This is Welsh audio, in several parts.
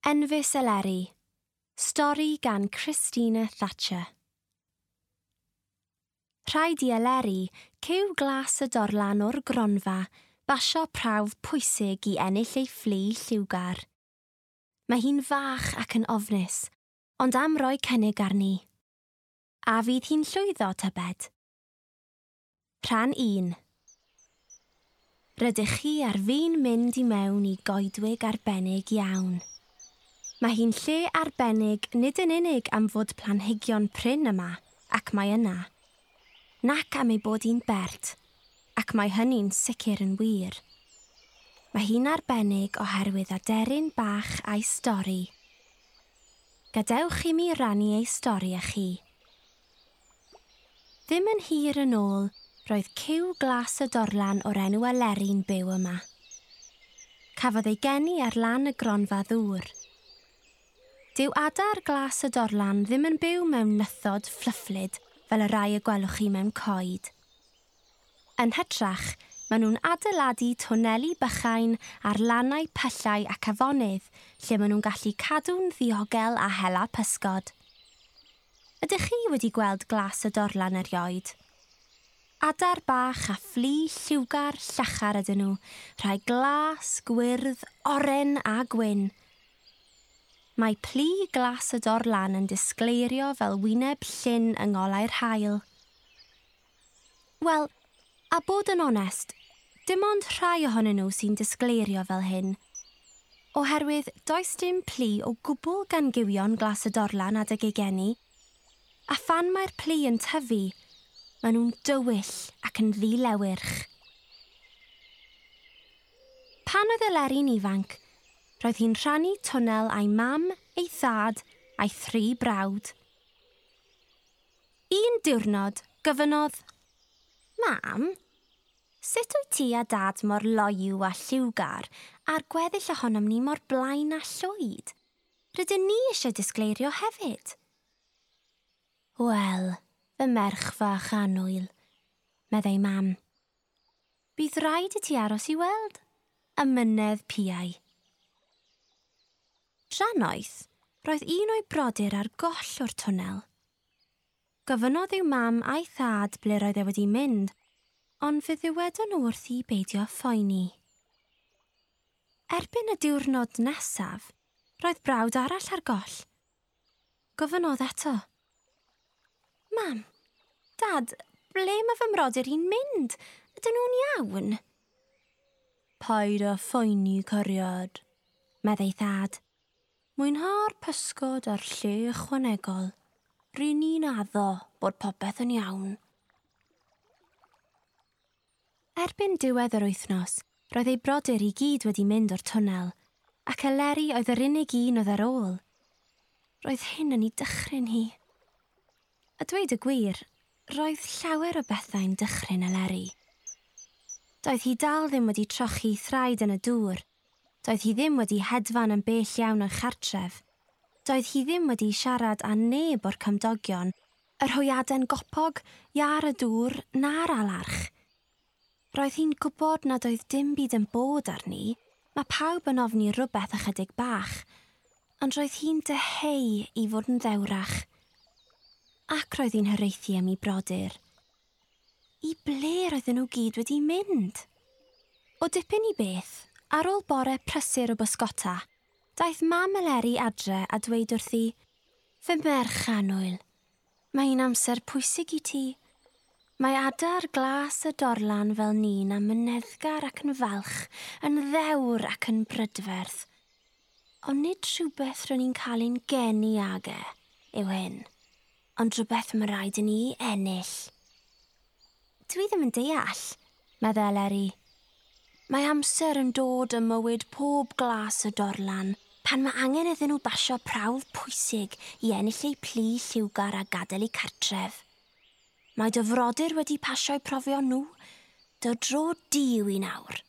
Enfys Eleri. Stori gan Christina Thatcher. Rhaid i Eleri, cyw glas y dorlan o'r gronfa, basio prawf pwysig i ennill ei fflu lliwgar. Mae hi'n fach ac yn ofnus, ond am roi cynnig arni. A fydd hi'n llwyddo, tybed? Rhan 1. Rydych chi ar fin mynd i mewn i goedwig arbennig iawn. Mae hi'n lle arbennig nid yn unig am fod planhigion prin yma, ac mae yna, nac am ei bod hi'n bert, ac mae hynny'n sicr yn wir. Mae hi'n arbennig oherwydd aderyn bach a'i stori. Gadewch i mi rannu ei stori â chi. Ddim yn hir yn ôl, roedd cyw glas y dorlan o'r enw Eleri'n byw yma. Cafodd ei geni ar lan y gronfa ddŵr. Dyw adar glas y dorlan ddim yn byw mewn nythod fflyfflyd fel y rai y gwelwch chi mewn coed. Yn hytrach, maen nhw'n adeiladu twneli bychain ar lannau pyllau ac afonydd lle maen nhw'n gallu cadw'n ddiogel a hela pysgod. Ydych chi wedi gweld glas y dorlan erioed? Adar bach a fflu lliwgar llachar ydyn nhw, rhai glas, gwyrdd, oren a gwyn. Mae plu glas y dorlan yn disgleirio fel wyneb llyn yng ngolau'r haul. Wel, a bod yn onest, dim ond rhai ohonyn nhw sy'n disgleirio fel hyn. Oherwydd does dim plu o gwbl gan gywion glas y dorlan adeg ei geni, a phan mae'r plu yn tyfu, maen nhw'n dywyll ac yn ddilewyrch. Pan oedd Eleri'n ifanc, roedd hi'n rhannu twnnel a'i mam, ei thad a'i thri brawd. Un diwrnod, gofynnodd, Mam, sut wyt ti a dad mor loyw a lliwgar a'r gweddill ohonom ni mor blaen a llwyd? Rydyn ni eisiau disgleirio hefyd. Wel, fy merch fach annwyl, meddai mam. Bydd rhaid i ti aros i weld y mynedd piau. Drannoeth, roedd un o'i brodyr ar goll o'r twnnel. Gofynnodd i'w mam a'i thad ble roedd e wedi mynd, ond fe ddywedon nhw wrthi beidio phoeni. Erbyn y diwrnod nesaf, roedd brawd arall ar goll. Gofynnodd eto. Mam, Dad, ble mae fy mrodyr i'n mynd? Ydyn nhw'n iawn? Paid â phoeni, cariad, meddai thad. Mwynha'r pysgod a'r lle ychwanegol. Ry'n ni'n addo bod popeth yn iawn. Erbyn diwedd yr wythnos, roedd ei brodyr i gyd wedi mynd o'r twnnel, ac Eleri oedd yr unig un oedd ar ôl. Roedd hyn yn ei dychryn hi. A dweud y gwir, roedd llawer o bethau'n dychryn Eleri. Doedd hi dal ddim wedi trochi thraed yn y dŵr. Doedd hi ddim wedi hedfan yn bell iawn o'i chartref. Doedd hi ddim wedi siarad â neb o'r cymdogion, yr hwyaden gopog, iâr y dŵr, na'r alarch. Roedd hi'n gwybod nad oedd dim byd yn bod arni, mae pawb yn ofni rhywbeth ychydig bach, ond roedd hi'n dyheu i fod yn ddewrach. Ac roedd hi'n hiraethu am ei brodyr. I ble roedden nhw gyd wedi mynd? O dipyn i beth, ar ôl bore prysur o bysgota, daeth mam Eleri adre a dweud wrthi, Fy merch annwyl, mae hi'n amser pwysig i ti. Mae adar glas y dorlan fel ni'n amyneddgar ac yn falch, yn ddewr ac yn brydferth. Ond nid rhywbeth rydyn ni'n cael ein geni ag e, yw hyn, ond rhywbeth mae rhaid i ni ennill. Dwi ddim yn deall, meddai Eleri. Mae amser yn dod ym mywyd pob glas y dorlan pan mae angen iddyn nhw basio prawf pwysig i ennill eu plu lliwgar a gadael eu cartref. Mae dy frodyr wedi pasio'u profion nhw. Dy dro di yw i nawr.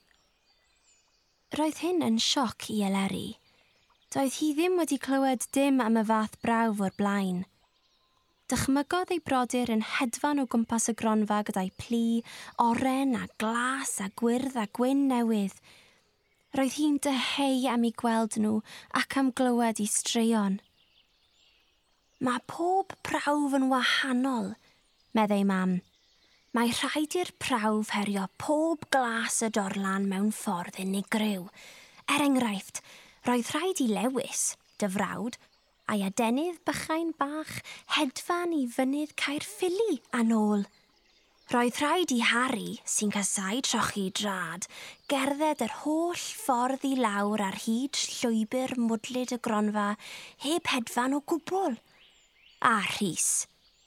Roedd hyn yn sioc i Eleri. Doedd hi ddim wedi clywed dim am y fath brawf o'r blaen. Dychmygodd ei brodyr yn hedfan o gwmpas y gronfa gyda'i plu, oren a glas a gwyrdd a gwyn newydd. Roedd hi'n dyheu am eu gweld nhw ac am glywed eu straeon. Mae pob prawf yn wahanol, meddai mam. Mae rhaid i'r prawf herio pob glas y dorlan mewn ffordd unigryw. Er enghraifft, roedd rhaid i Lewis, dy frawd, a'i adenydd bychain bach hedfan i fynydd Caerffili a nôl. Roedd rhaid i Harry, sy'n casáu trochi drad, gerdded yr holl ffordd i lawr ar hyd llwybr mwdlyd y gronfa heb hedfan o gwbl. A Rhys,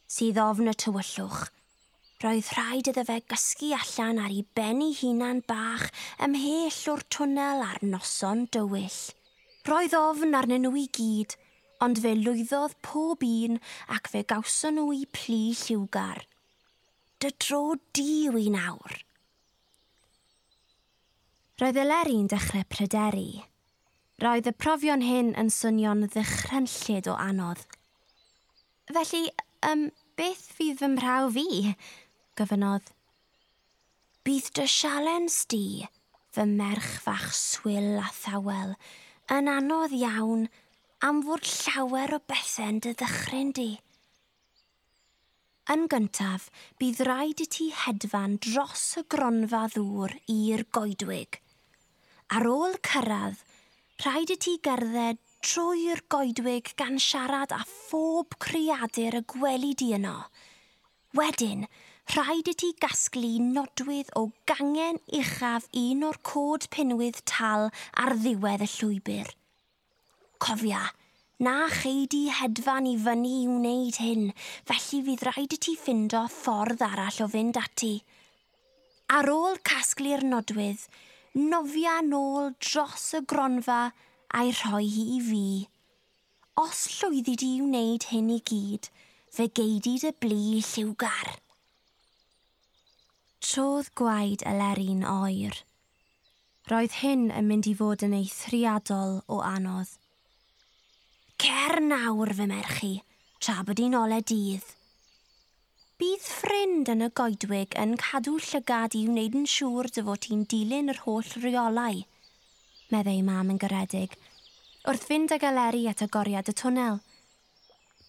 sydd ofn y tywyllwch, roedd rhaid iddo fe gysgu allan ar ei ben ei hunan bach ymhell o'r twnnel ar noson dywyll. Roedd ofn arnyn nhw i gyd, ond fe lwyddodd pob un ac fe gawson nhw eu plu lliwgar. Dy dro di yw hi nawr. Roedd Eleri'n dechrau pryderu. Roedd y profion hyn yn swnio'n ddychrynllyd o anodd. Felly, beth fydd fy mhrawf i? Gofynnodd. Bydd dy sialens di, fy merch fach swil a thawel, yn anodd iawn am fod llawer o bethau'n dy ddychryn di. Yn gyntaf, bydd rhaid i ti hedfan dros y gronfa ddŵr i'r goedwig. Ar ôl cyrraedd, rhaid i ti gerdded trwy'r goedwig gan siarad â phob creadur y gweli di yno. Wedyn, rhaid i ti gasglu nodwydd o gangen uchaf un o'r cod pinwydd tal ar ddiwedd y llwybr. Cofia, na chei di hedfan i fyny i wneud hyn, felly fydd rhaid i ti ffindo ffordd arall o fynd ati. Ar ôl casglu'r nodwydd, nofia nôl dros y gronfa a'i rhoi hi i fi. Os llwyddi di i wneud hyn i gyd, fe gei di dy blu lliwgar. Trodd gwaed Eleri'n oer. Roedd hyn yn mynd i fod yn eithriadol o anodd. Cer nawr, fy merch i, tra bod hi'n ole dydd. Bydd ffrind yn y goedwig yn cadw llygad i wneud yn siŵr dy fod ti'n dilyn yr holl reolau, meddai mam yn garedig, wrth fynd ag Eleri at agoriad y twnnel.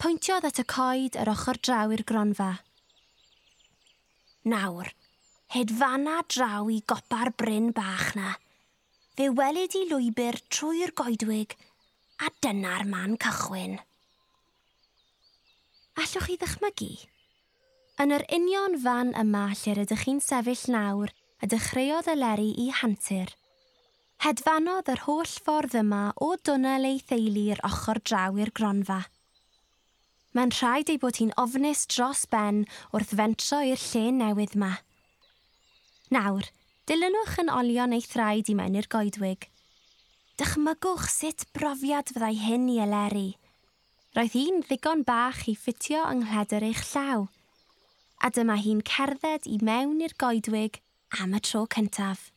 Pwyntiodd at y coed yr ochr draw i'r gronfa. Nawr, hedfana draw i gopa'r bryn bach na. Fe welid i lwybr trwy'r goedwig, a dyna'r man cychwyn. Allwch chi ddychmygu? Yn yr union fan yma lle rydych chi'n sefyll nawr, y dechreuodd Eleri i hantur. Hedfanodd yr holl ffordd yma o dwnnel ei theulu i'r ochr draw i'r gronfa. Mae'n rhaid ei bod hi'n ofnus dros ben wrth fentro i'r lle newydd yma. Nawr, dilynwch yn olion ei thraed i mewn i'r goedwig. Dychmygwch sut brofiad fyddai hyn i Eleri. Roedd hi'n ddigon bach i ffitio yng nghledr eich llaw. A dyma hi'n cerdded i mewn i'r goedwig am y tro cyntaf.